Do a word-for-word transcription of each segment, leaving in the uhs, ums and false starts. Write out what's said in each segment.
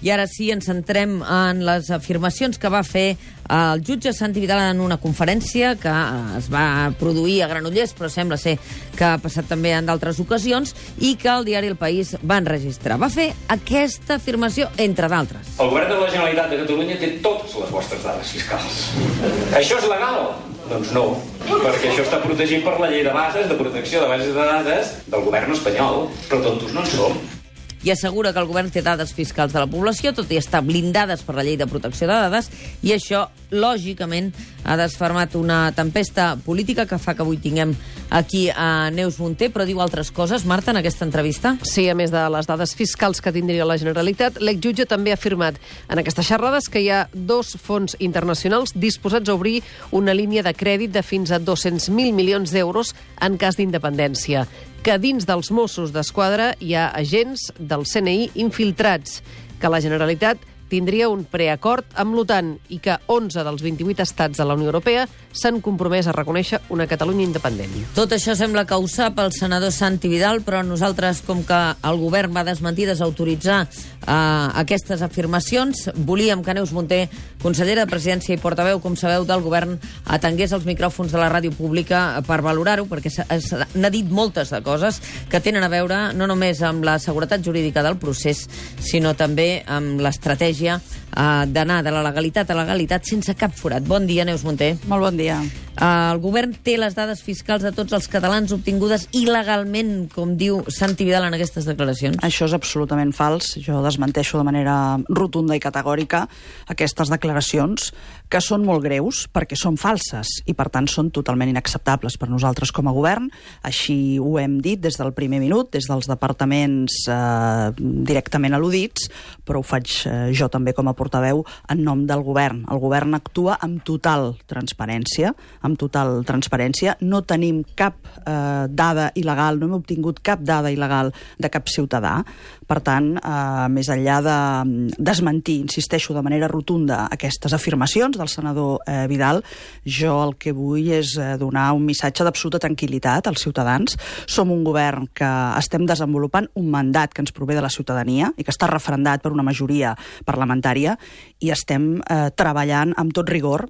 I ara sí, ens centrem en les afirmacions que va fer el jutge Santi Vidal en una conferència que es va produir a Granollers, però sembla ser que ha passat també en d'altres ocasions, i que el diari El País va enregistrar. Va fer aquesta afirmació, entre d'altres. El govern de la Generalitat de Catalunya té totes les vostres dades fiscals. Això és legal? Doncs no, perquè això està protegit per la llei de bases, de protecció de bases de dades del govern espanyol, però tontos no en som. I assegura que el govern té dades fiscals de la població, tot i estar blindades per la llei de protecció de dades, i això, lògicament, ha desfermat una tempesta política que fa que avui tinguem aquí a Neus Munté, però diu altres coses, Marta, en aquesta entrevista? Sí, a més de les dades fiscals que tindria la Generalitat, l'exjutge també ha afirmat en aquestes xerrades que hi ha dos fons internacionals disposats a obrir una línia de crèdit de fins a dos-cents mil milions d'euros en cas d'independència, que dins dels Mossos d'Esquadra hi ha agents del C N I infiltrats, que la Generalitat tindria un preacord amb l'OTAN i que onze dels vint-i-vuit estats de la Unió Europea s'han compromès a reconèixer una Catalunya independent. Tot això sembla que ho sap el senador Santi Vidal, però nosaltres, com que el govern va desmentir, desautoritzar eh, aquestes afirmacions, volíem que Neus Munté, consellera de Presidència i portaveu, com sabeu, del govern, atengués els micròfons de la ràdio pública per valorar-ho, perquè n'ha dit moltes de coses que tenen a veure no només amb la seguretat jurídica del procés, sinó també amb l'estratègia d'anar de la legalitat a la legalitat sense cap forat. Bon dia, Neus Munté. Molt bon dia. El govern té les dades fiscals de tots els catalans obtingudes il·legalment, com diu Santi Vidal en aquestes declaracions? Això és absolutament fals. Jo desmenteixo de manera rotunda i categòrica aquestes declaracions, que són molt greus perquè són falses i, per tant, són totalment inacceptables per nosaltres com a govern. Així ho hem dit des del primer minut, des dels departaments eh, directament al·ludits, però ho faig eh, jo també com a portaveu en nom del govern. El govern actua amb total transparència, amb total transparència. No tenim cap eh, dada il·legal, no hem obtingut cap dada il·legal de cap ciutadà. Per tant, eh, més enllà de desmentir, insisteixo de manera rotunda, aquestes afirmacions del senador eh, Vidal, jo el que vull és eh, donar un missatge d'absoluta tranquil·litat als ciutadans. Som un govern que estem desenvolupant un mandat que ens prové de la ciutadania i que està referendat per una majoria parlamentària, i estem eh, treballant amb tot rigor,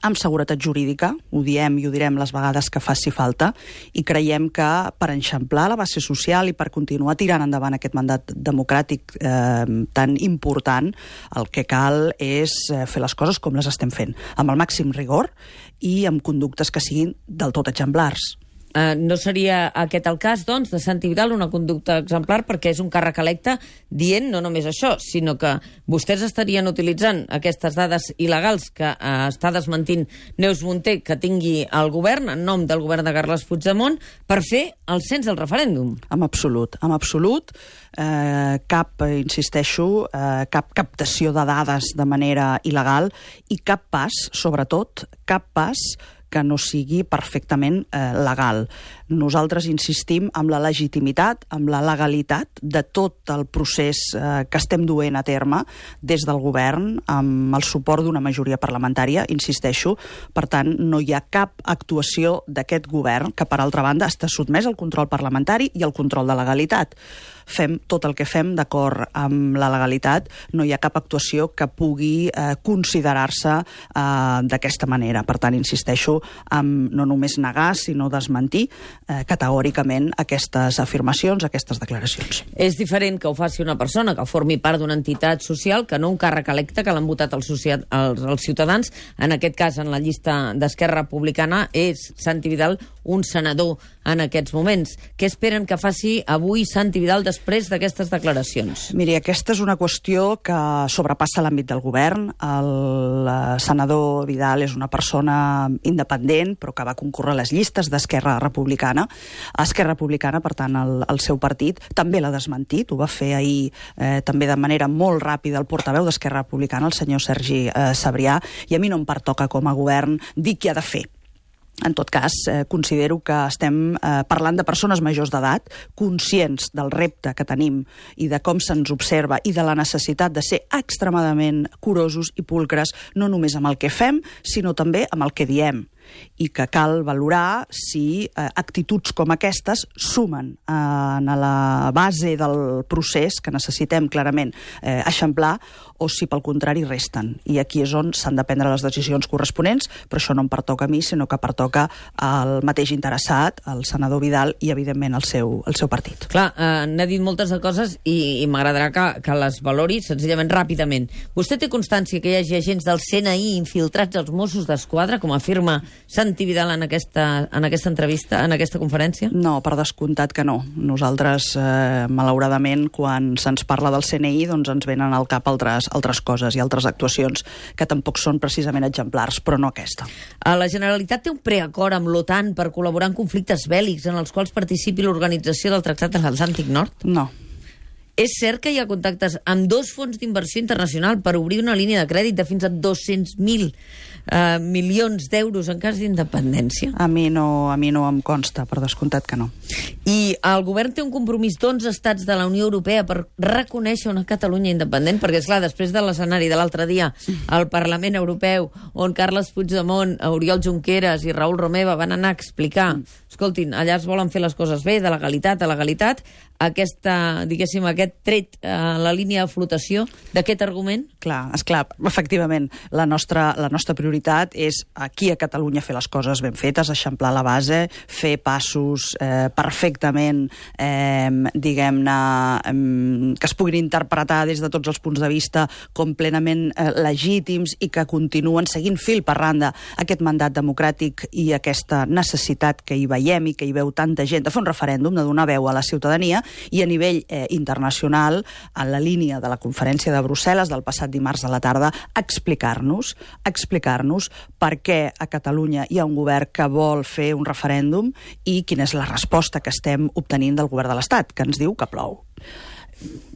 amb seguretat jurídica, ho diem i ho direm les vegades que faci falta, i creiem que per eixamplar la base social i per continuar tirant endavant aquest mandat democràtic eh, tan important, el que cal és fer les coses com les estem fent, amb el màxim rigor i amb conductes que siguin del tot exemplars. Uh, no seria aquest el cas, doncs, de Santi Vidal, una conducta exemplar, perquè és un càrrec electe dient no només això, sinó que vostès estarien utilitzant aquestes dades il·legals que uh, està desmentint Neus Munté que tingui el govern, en nom del govern de Carles Puigdemont, per fer el cens del referèndum. En absolut, en absolut. Eh, cap, insisteixo, eh, cap captació de dades de manera il·legal i cap pas, sobretot, cap pas que no sigui perfectament eh, legal. Nosaltres insistim amb la legitimitat, amb la legalitat de tot el procés eh, que estem duent a terme des del govern, amb el suport d'una majoria parlamentària, insisteixo. Per tant, no hi ha cap actuació d'aquest govern que, per altra banda, està sotmès al control parlamentari i al control de legalitat. Fem tot el que fem d'acord amb la legalitat, no hi ha cap actuació que pugui eh, considerar-se eh, d'aquesta manera. Per tant, insisteixo amb no només negar, sinó desmentir eh, categòricament aquestes afirmacions, aquestes declaracions. És diferent que ho faci una persona que formi part d'una entitat social que no un càrrec electe que l'han votat els, els, els ciutadans. En aquest cas, en la llista d'Esquerra Republicana, és Santi Vidal un senador en aquests moments. Què esperen que faci avui Santi Vidal després d'aquestes declaracions? Miri, aquesta és una qüestió que sobrepassa l'àmbit del govern. El senador Vidal és una persona independent, però que va concórrer a les llistes d'Esquerra Republicana. Esquerra Republicana, per tant, el, el seu partit, també l'ha desmentit. Ho va fer ahir eh, també de manera molt ràpida el portaveu d'Esquerra Republicana, el senyor Sergi eh, Sabrià, i a mi no em pertoca com a govern dir què ha de fer. En tot cas, eh, considero que estem eh, parlant de persones majors d'edat, conscients del repte que tenim i de com se'ns observa i de la necessitat de ser extremadament curosos i pulcres, no només amb el que fem, sinó també amb el que diem. i que cal valorar si eh, actituds com aquestes sumen eh, a la base del procés que necessitem clarament eh, eixamplar, o si pel contrari resten. I aquí és on s'han de prendre les decisions corresponents, però això no em pertoca a mi, sinó que pertoca al mateix interessat, al senador Vidal i, evidentment, al seu, al seu partit. Clar, eh, n'ha dit moltes de coses i, i m'agradarà que, que les valori senzillament ràpidament. Vostè té constància que hi hagi agents del C N I infiltrats als Mossos d'Esquadra, com afirma Santi Vidal en aquesta, en aquesta entrevista, en aquesta conferència? No, per descomptat que no. Nosaltres, eh, malauradament, quan se'ns parla del C N I, doncs ens venen al cap altres, altres coses i altres actuacions que tampoc són precisament exemplars, però no aquesta. La Generalitat té un preacord amb l'OTAN per col·laborar en conflictes bèl·lics en els quals participi l'Organització del Tractat de l'Atlàntic Nord? No. És cert que hi ha contactes amb dos fons d'inversió internacional per obrir una línia de crèdit de fins a dos-cents mil eh, milions d'euros en cas d'independència? A mi no, a mi no em consta, per descomptat que no. I el govern té un compromís d'onze estats de la Unió Europea per reconèixer una Catalunya independent? Perquè, esclar, després de l'escenari de l'altre dia al Parlament Europeu, on Carles Puigdemont, Oriol Junqueras i Raül Romeva van anar a explicar, escoltin, allà es volen fer les coses bé, de legalitat a legalitat, aquesta, diguéssim, aquest tret a la línia de flotació d'aquest argument? Clar, esclar, efectivament, la nostra, la nostra prioritat és aquí a Catalunya fer les coses ben fetes, eixamplar la base, fer passos eh, perfectament, eh, diguem-ne, eh, que es puguin interpretar des de tots els punts de vista com plenament eh, legítims i que continuen seguint fil per randa aquest mandat democràtic i aquesta necessitat que hi veiem i que hi veu tanta gent de fer un referèndum, de donar veu a la ciutadania, i a nivell eh, internacional, en la línia de la conferència de Brussel·les del passat dimarts a la tarda, explicar-nos explicar-nos per què a Catalunya hi ha un govern que vol fer un referèndum i quina és la resposta que estem obtenint del govern de l'Estat, que ens diu que plou.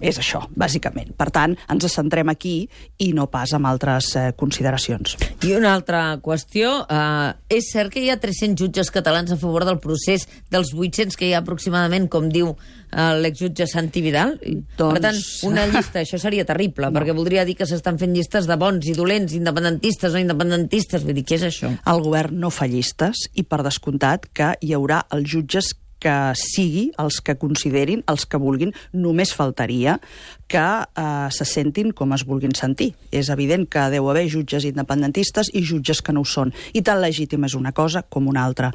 És això, bàsicament. Per tant, ens centrem aquí i no pas amb altres eh, consideracions. I una altra qüestió, eh, és cert que hi ha tres-cents jutges catalans a favor del procés dels vuit-cents que hi ha aproximadament, com diu eh, l'exjutge Santi Vidal? Doncs... Per tant, una llista, això seria terrible, no. Perquè voldria dir que s'estan fent llistes de bons i dolents, independentistes o independentistes. Vull dir, què és això? El govern no fa llistes i, per descomptat, que hi haurà els jutges que sigui els que considerin, els que vulguin, només faltaria que eh, se sentin com es vulguin sentir. És evident que deu haver jutges independentistes i jutges que no ho són. I tan legítim és una cosa com una altra.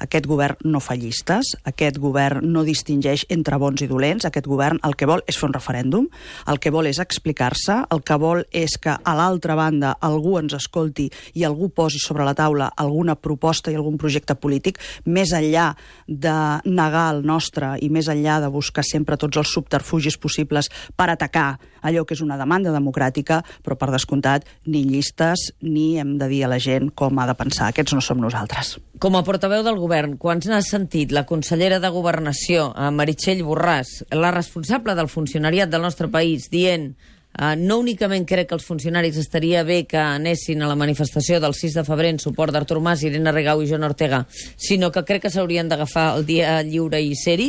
Aquest govern no fa llistes, aquest govern no distingeix entre bons i dolents, aquest govern el que vol és fer un referèndum, el que vol és explicar-se, el que vol és que a l'altra banda algú ens escolti i algú posi sobre la taula alguna proposta i algun projecte polític, més enllà de negar el nostre i més enllà de buscar sempre tots els subterfugis possibles per atacar allò que és una demanda democràtica, però per descomptat ni llistes ni hem de dir a la gent com ha de pensar. Aquests no som nosaltres. Com a portaveu del govern, quan n'ha sentit la consellera de Governació, Meritxell Borràs, la responsable del funcionariat del nostre país, dient Uh, no únicament crec que els funcionaris estaria bé que anessin a la manifestació del sis de febrer en suport d'Artur Mas, Irene Rigau i Joan Ortega, sinó que crec que s'haurien d'agafar el dia lliure i ser-hi.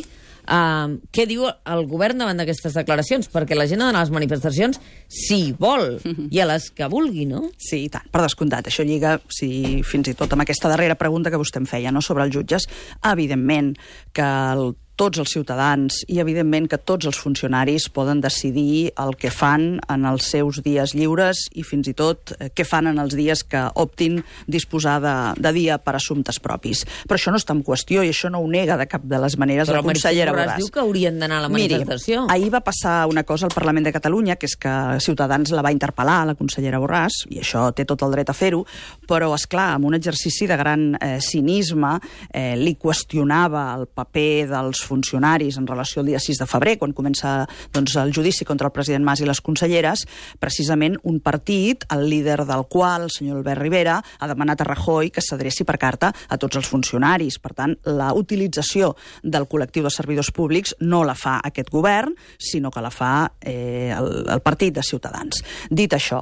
Uh, què diu el govern davant d'aquestes declaracions? Perquè la gent ha d'anar a les manifestacions si vol, i a les que vulgui, no? Sí, i tant, per descomptat. Això lliga, si, fins i tot amb aquesta darrera pregunta que vostè em feia, no?, sobre els jutges. Evidentment que el tots els ciutadans i, evidentment, que tots els funcionaris poden decidir el que fan en els seus dies lliures i, fins i tot, eh, què fan en els dies que optin disposar de, de dia per assumptes propis. Però això no està en qüestió i això no ho nega de cap de les maneres Però la consellera Borràs. Però diu que haurien d'anar a la manifestació. Miri, ahir va passar una cosa al Parlament de Catalunya, que és que Ciutadans la va interpel·lar, la consellera Borràs, i això té tot el dret a fer-ho, però, esclar, amb un exercici de gran eh, cinisme, eh, li qüestionava el paper dels funcionaris en relació al dia sis de febrer, quan comença doncs, el judici contra el president Mas i les conselleres, precisament un partit, el líder del qual, el senyor Albert Rivera, ha demanat a Rajoy que s'adreci per carta a tots els funcionaris. Per tant, la utilització del col·lectiu de servidors públics no la fa aquest govern, sinó que la fa eh, el, el partit de Ciutadans. Dit això,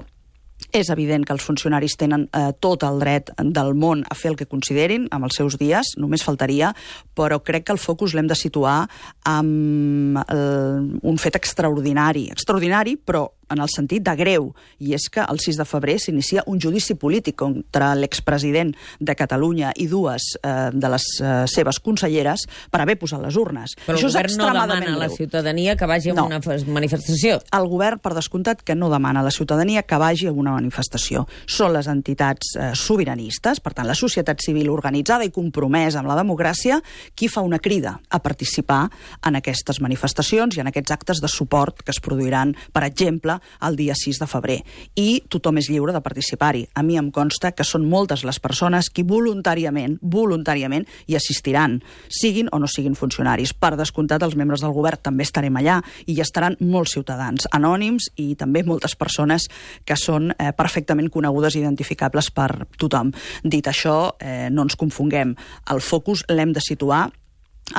és evident que els funcionaris tenen eh, tot el dret del món a fer el que considerin amb els seus dies, només faltaria, però crec que el focus l'hem de situar amb el, un fet extraordinari. Extraordinari, però en el sentit de greu, i és que el sis de febrer s'inicia un judici polític contra l'expresident de Catalunya i dues eh, de les eh, seves conselleres per haver posat les urnes. Però Això el govern no demana a la ciutadania que vagi a no. una manifestació. El govern, per descomptat, que no demana a la ciutadania que vagi a una manifestació. Són les entitats eh, sobiranistes, per tant, la societat civil organitzada i compromesa amb la democràcia, qui fa una crida a participar en aquestes manifestacions i en aquests actes de suport que es produiran, per exemple, el dia sis de febrer. I tothom és lliure de participar-hi. A mi em consta que són moltes les persones que voluntàriament, voluntàriament hi assistiran, siguin o no siguin funcionaris. Per descomptat, els membres del govern també estarem allà i hi estaran molts ciutadans anònims i també moltes persones que són eh, perfectament conegudes i identificables per tothom. Dit això, eh, no ens confonguem. El focus l'hem de situar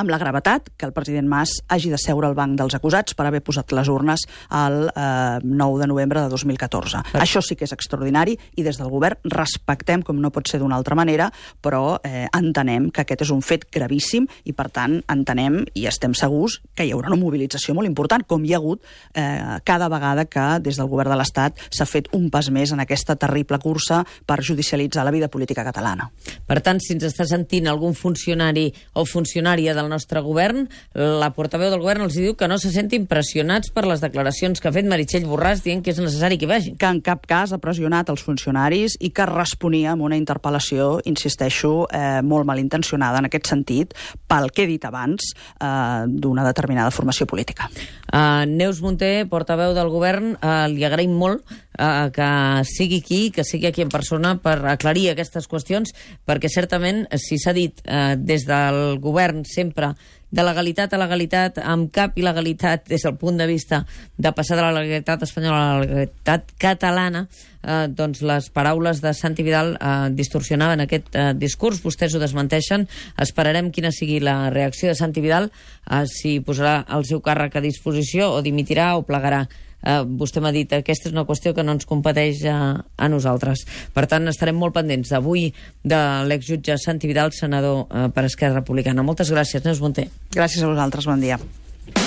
amb la gravetat que el president Mas hagi de seure al banc dels acusats per haver posat les urnes el eh, nou de novembre de dos mil catorze. Per... Això sí que és extraordinari i des del govern respectem, com no pot ser d'una altra manera, però eh, entenem que aquest és un fet gravíssim i, per tant, entenem i estem segurs que hi haurà una mobilització molt important, com hi ha hagut eh, cada vegada que des del govern de l'Estat s'ha fet un pas més en aquesta terrible cursa per judicialitzar la vida política catalana. Per tant, si ens està sentint algun funcionari o funcionària del nostre govern, la portaveu del govern els diu que no se sentin pressionats per les declaracions que ha fet Meritxell Borràs dient que és necessari que vagin. Que en cap cas ha pressionat els funcionaris i que responia amb una interpel·lació, insisteixo, eh, molt malintencionada en aquest sentit, pel que he dit abans, eh, d'una determinada formació política. Uh, Neus Munté, portaveu del govern, uh, li agraïm molt uh, que sigui aquí, que sigui aquí en persona per aclarir aquestes qüestions, perquè certament, si s'ha dit uh, des del govern sempre de legalitat a legalitat, amb cap il·legalitat des del punt de vista de passar de la legalitat espanyola a la legalitat catalana, eh, doncs les paraules de Santi Vidal eh, distorsionaven aquest eh, discurs. Vostès ho desmenteixen. Esperarem quina sigui la reacció de Santi Vidal, eh, si posarà el seu càrrec a disposició o dimitirà o plegarà. Uh, vostè m'ha dit que aquesta és una qüestió que no ens competeix a, a nosaltres. Per tant, estarem molt pendents d'avui de l'exjutge Santi Vidal, senador uh, per Esquerra Republicana. Moltes gràcies, Neus Munté. Gràcies a vosaltres, bon dia.